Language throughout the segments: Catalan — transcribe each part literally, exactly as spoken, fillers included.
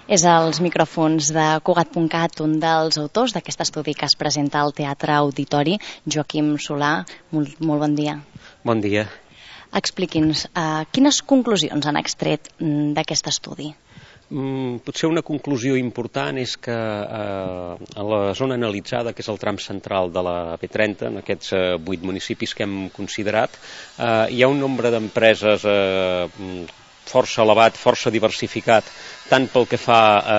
És als micròfons de Cugat punt cat, un dels autors d'aquest estudi que es presenta al Teatre Auditori, Joaquim Solà. Molt, molt bon dia. Bon dia. Expliqui'ns, uh, quines conclusions han extret d'aquest estudi? Mm, potser una conclusió important és que eh, a la zona analitzada, que és el tram central de la B trenta, en aquests eh, vuit municipis que hem considerat, eh, hi ha un nombre d'empreses eh, força elevat, força diversificat, tant pel que fa eh,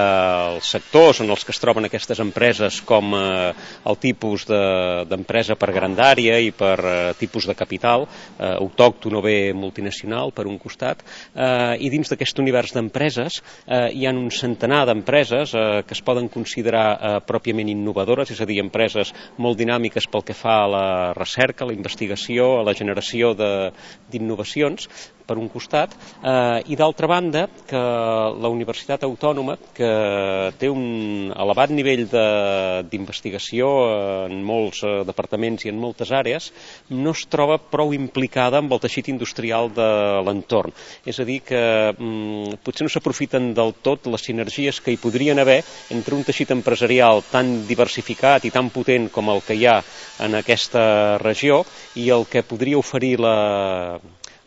als sectors en els que es troben aquestes empreses com eh, el tipus d'empresa de, per grandària i per eh, tipus de capital, eh, autòcton o bé multinacional, per un costat, eh, i dins d'aquest univers d'empreses eh, hi ha un centenar d'empreses eh, que es poden considerar eh, pròpiament innovadores, és a dir, empreses molt dinàmiques pel que fa a la recerca, a la investigació, a la generació d'innovacions, per un costat, eh, i d'altra banda que la Universitat Autònoma, que té un elevat nivell d'investigació en molts eh, departaments i en moltes àrees, no es troba prou implicada amb el teixit industrial de l'entorn. És a dir, que mm, potser no s'aprofiten del tot les sinergies que hi podrien haver entre un teixit empresarial tan diversificat i tan potent com el que hi ha en aquesta regió i el que podria oferir la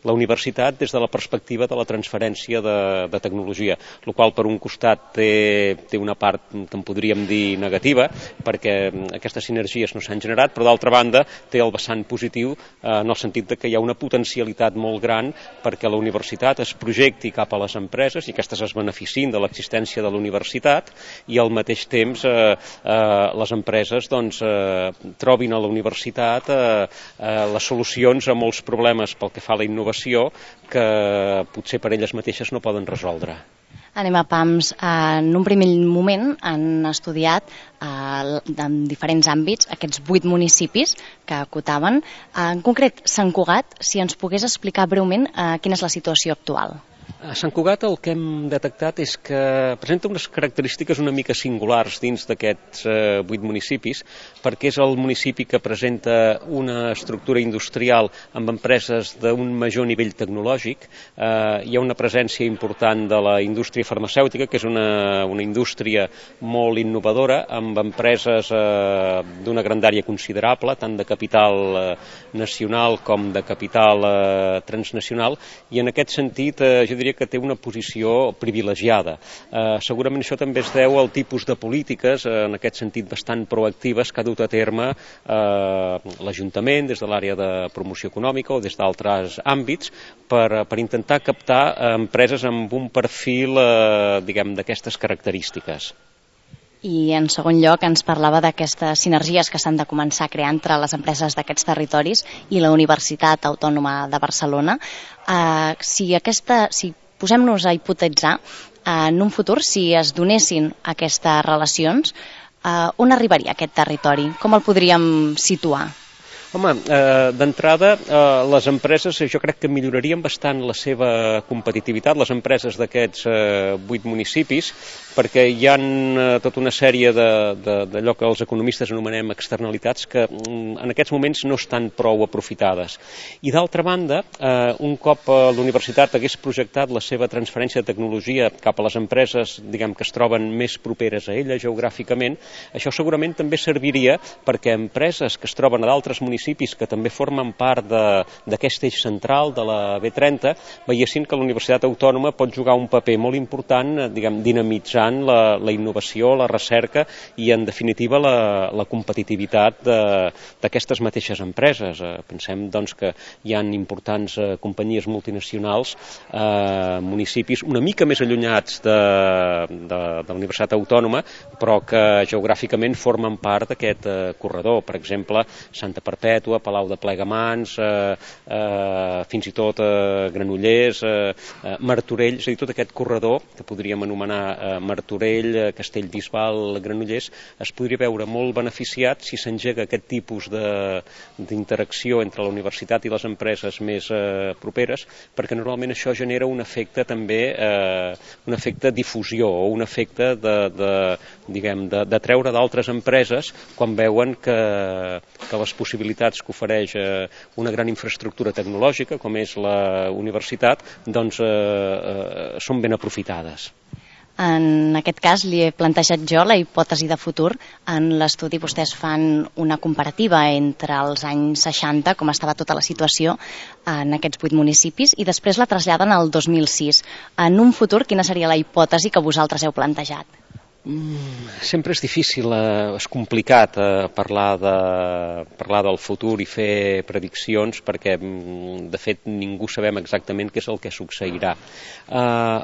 la universitat des de la perspectiva de la transferència de, de tecnologia, el qual per un costat té, té una part que en podríem dir negativa, perquè aquestes sinergies no s'han generat, però d'altra banda té el vessant positiu eh, en el sentit de que hi ha una potencialitat molt gran perquè la universitat es projecti cap a les empreses i aquestes es beneficien de l'existència de la universitat i al mateix temps eh, eh, les empreses doncs, eh, trobin a la universitat eh, eh, les solucions a molts problemes pel que fa a la innovació que potser per elles mateixes no poden resoldre. Anem a pams. En un primer moment han estudiat eh, en diferents àmbits aquests vuit municipis que acotaven. En concret, Sant Cugat, si ens pogués explicar breument eh, quina és la situació actual. A Sant Cugat el que hem detectat és que presenta unes característiques una mica singulars dins d'aquests eh, vuit municipis, perquè és el municipi que presenta una estructura industrial amb empreses d'un major nivell tecnològic. Eh, hi ha una presència important de la indústria farmacèutica, que és una, una indústria molt innovadora, amb empreses eh, d'una grandària considerable, tant de capital eh, nacional com de capital eh, transnacional, i en aquest sentit eh, jo diria que té una posició privilegiada. Eh, segurament això també es deu al tipus de polítiques, eh, en aquest sentit bastant proactives, que ha dut a terme eh, l'Ajuntament des de l'àrea de promoció econòmica o des d'altres àmbits per, per intentar captar eh, empreses amb un perfil eh, diguem d'aquestes característiques. I en segon lloc ens parlava d'aquestes sinergies que s'han de començar a crear entre les empreses d'aquests territoris i la Universitat Autònoma de Barcelona. Uh, si aquesta, si posem-nos a hipotetitzar uh, en un futur, si es donessin aquestes relacions, uh, on arribaria aquest territori? Com el podríem situar? Home, eh, d'entrada, eh, les empreses jo crec que millorarien bastant la seva competitivitat, les empreses d'aquests eh, vuit municipis, perquè hi ha eh, tota una sèrie d'allò que els economistes anomenem externalitats que mm, en aquests moments no estan prou aprofitades. I d'altra banda, eh, un cop la universitat hagués projectat la seva transferència de tecnologia cap a les empreses, diguem, que es troben més properes a ella geogràficament, això segurament també serviria perquè empreses que es troben a d'altres municipis que també formen part d'aquest eix central de la B trenta veiessin que la Universitat Autònoma pot jugar un paper molt important, diguem, dinamitzant la, la innovació, la recerca i, en definitiva, la, la competitivitat d'aquestes mateixes empreses. Eh, pensem, doncs, que hi ha importants eh, companyies multinacionals, eh, municipis una mica més allunyats de, de, de la Universitat Autònoma, però que geogràficament formen part d'aquest eh, corredor. Per exemple, Santa Perpètua, Palau de Plegamans, eh, eh, fins i tot eh, Granollers, eh, eh, Martorell, és a dir, tot aquest corredor que podríem anomenar eh, Martorell, eh, Castellbisbal, Granollers, es podria veure molt beneficiat si s'engega aquest tipus d'interacció entre la universitat i les empreses més eh, properes, perquè normalment això genera un efecte també, eh, un efecte difusió o un efecte de, de, diguem, de, de treure d'altres empreses quan veuen que, que les possibilitats que ofereix eh, una gran infraestructura tecnològica com és la universitat, doncs eh, eh, són ben aprofitades. En aquest cas li he plantejat jo la hipòtesi de futur. En l'estudi vostès fan una comparativa entre els anys seixanta, com estava tota la situació en aquests vuit municipis, i després la traslladen al dos mil sis. En un futur, quina seria la hipòtesi que vosaltres heu plantejat? Mm, sempre és difícil, eh, és complicat eh, parlar, de, parlar del futur i fer prediccions perquè, de fet, ningú sabem exactament què és el que succeirà. Eh,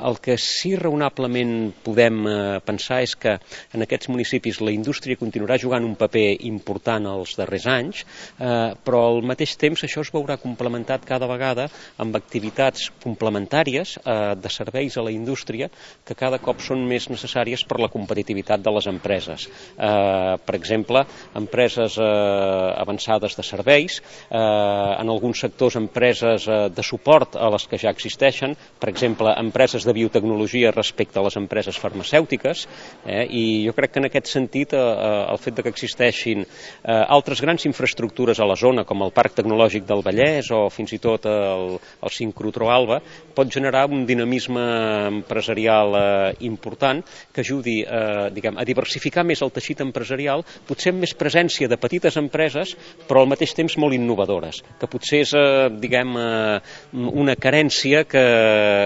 el que sí raonablement podem eh, pensar és que en aquests municipis la indústria continuarà jugant un paper important els darrers anys, eh, però al mateix temps això es veurà complementat cada vegada amb activitats complementàries eh, de serveis a la indústria que cada cop són més necessàries per la competitivitat competitivitat de les empreses. Eh, per exemple, empreses eh, avançades de serveis, eh, en alguns sectors empreses eh, de suport a les que ja existeixen, per exemple, empreses de biotecnologia respecte a les empreses farmacèutiques, eh, i jo crec que en aquest sentit eh, el fet de que existeixin eh, altres grans infraestructures a la zona, com el Parc Tecnològic del Vallès o fins i tot el, el Sincrotró Alba, pot generar un dinamisme empresarial eh, important que ajudi eh, diguem, a diversificar més el teixit empresarial, potser amb més presència de petites empreses, però al mateix temps molt innovadores, que potser és eh, diguem, eh, una carència que,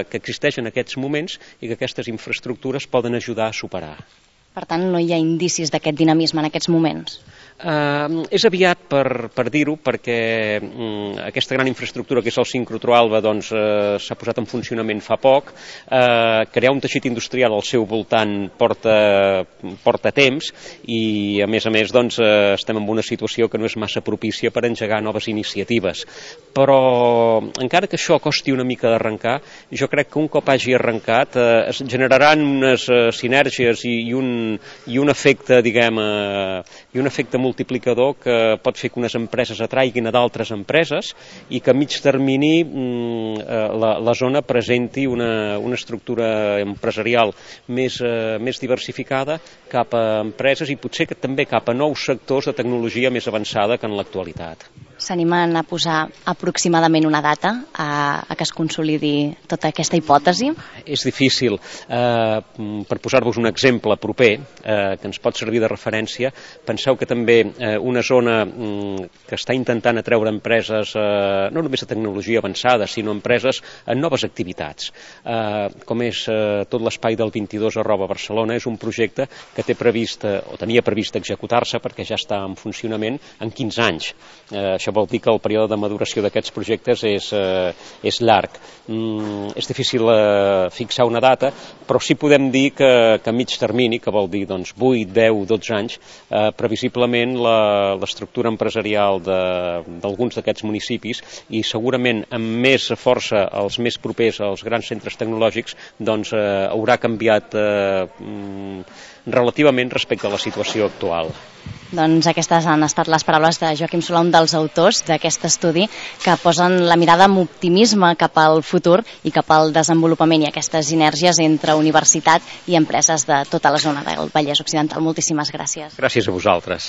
que existeix en aquests moments i que aquestes infraestructures poden ajudar a superar. Per tant, no hi ha indicis d'aquest dinamisme en aquests moments? Uh, és aviat per, per dir-ho, perquè um, aquesta gran infraestructura que és el Sincrotró Alba doncs, uh, s'ha posat en funcionament fa poc. Uh, crear un teixit industrial al seu voltant porta, porta temps i, a més a més, doncs, uh, estem en una situació que no és massa propícia per engegar noves iniciatives. Però, encara que això costi una mica d'arrencar, jo crec que un cop hagi arrencat uh, es generaran unes uh, sinergies i, i, un, i un efecte, diguem, uh, i un efecte multiplicador que pot fer que unes empreses atraiguin a d'altres empreses i que a mig termini la, la zona presenti una, una estructura empresarial més, eh, més diversificada cap a empreses i potser que també cap a nous sectors de tecnologia més avançada que en l'actualitat. S'animen a posar aproximadament una data a, a que es consolidi tota aquesta hipòtesi? És difícil. Eh, per posar-vos un exemple proper, eh, que ens pot servir de referència, penseu que també eh, una zona mm, que està intentant atreure empreses, eh, no només de tecnologia avançada, sinó empreses en noves activitats. Eh, com és eh, tot l'espai del vint-i-dos arroba Barcelona, és un projecte que té previst, eh, o tenia previst executar-se perquè ja està en funcionament en quinze anys. Eh, això vol dir que el període de maduració d'aquests projectes és, eh, és llarg. Mm, és difícil eh, fixar una data, però sí podem dir que, que a mig termini, que vol dir doncs, vuit, deu, dotze anys, eh, previsiblement l'estructura empresarial d'alguns d'aquests municipis i segurament amb més força els més propers als grans centres tecnològics doncs eh, haurà canviat eh, relativament respecte a la situació actual. Doncs aquestes han estat les paraules de Joaquim Solà, un dels autors d'aquest estudi, que posen la mirada amb optimisme cap al futur i cap al desenvolupament i aquestes sinergies entre universitat i empreses de tota la zona del Vallès Occidental. Moltíssimes gràcies. Gràcies a vosaltres.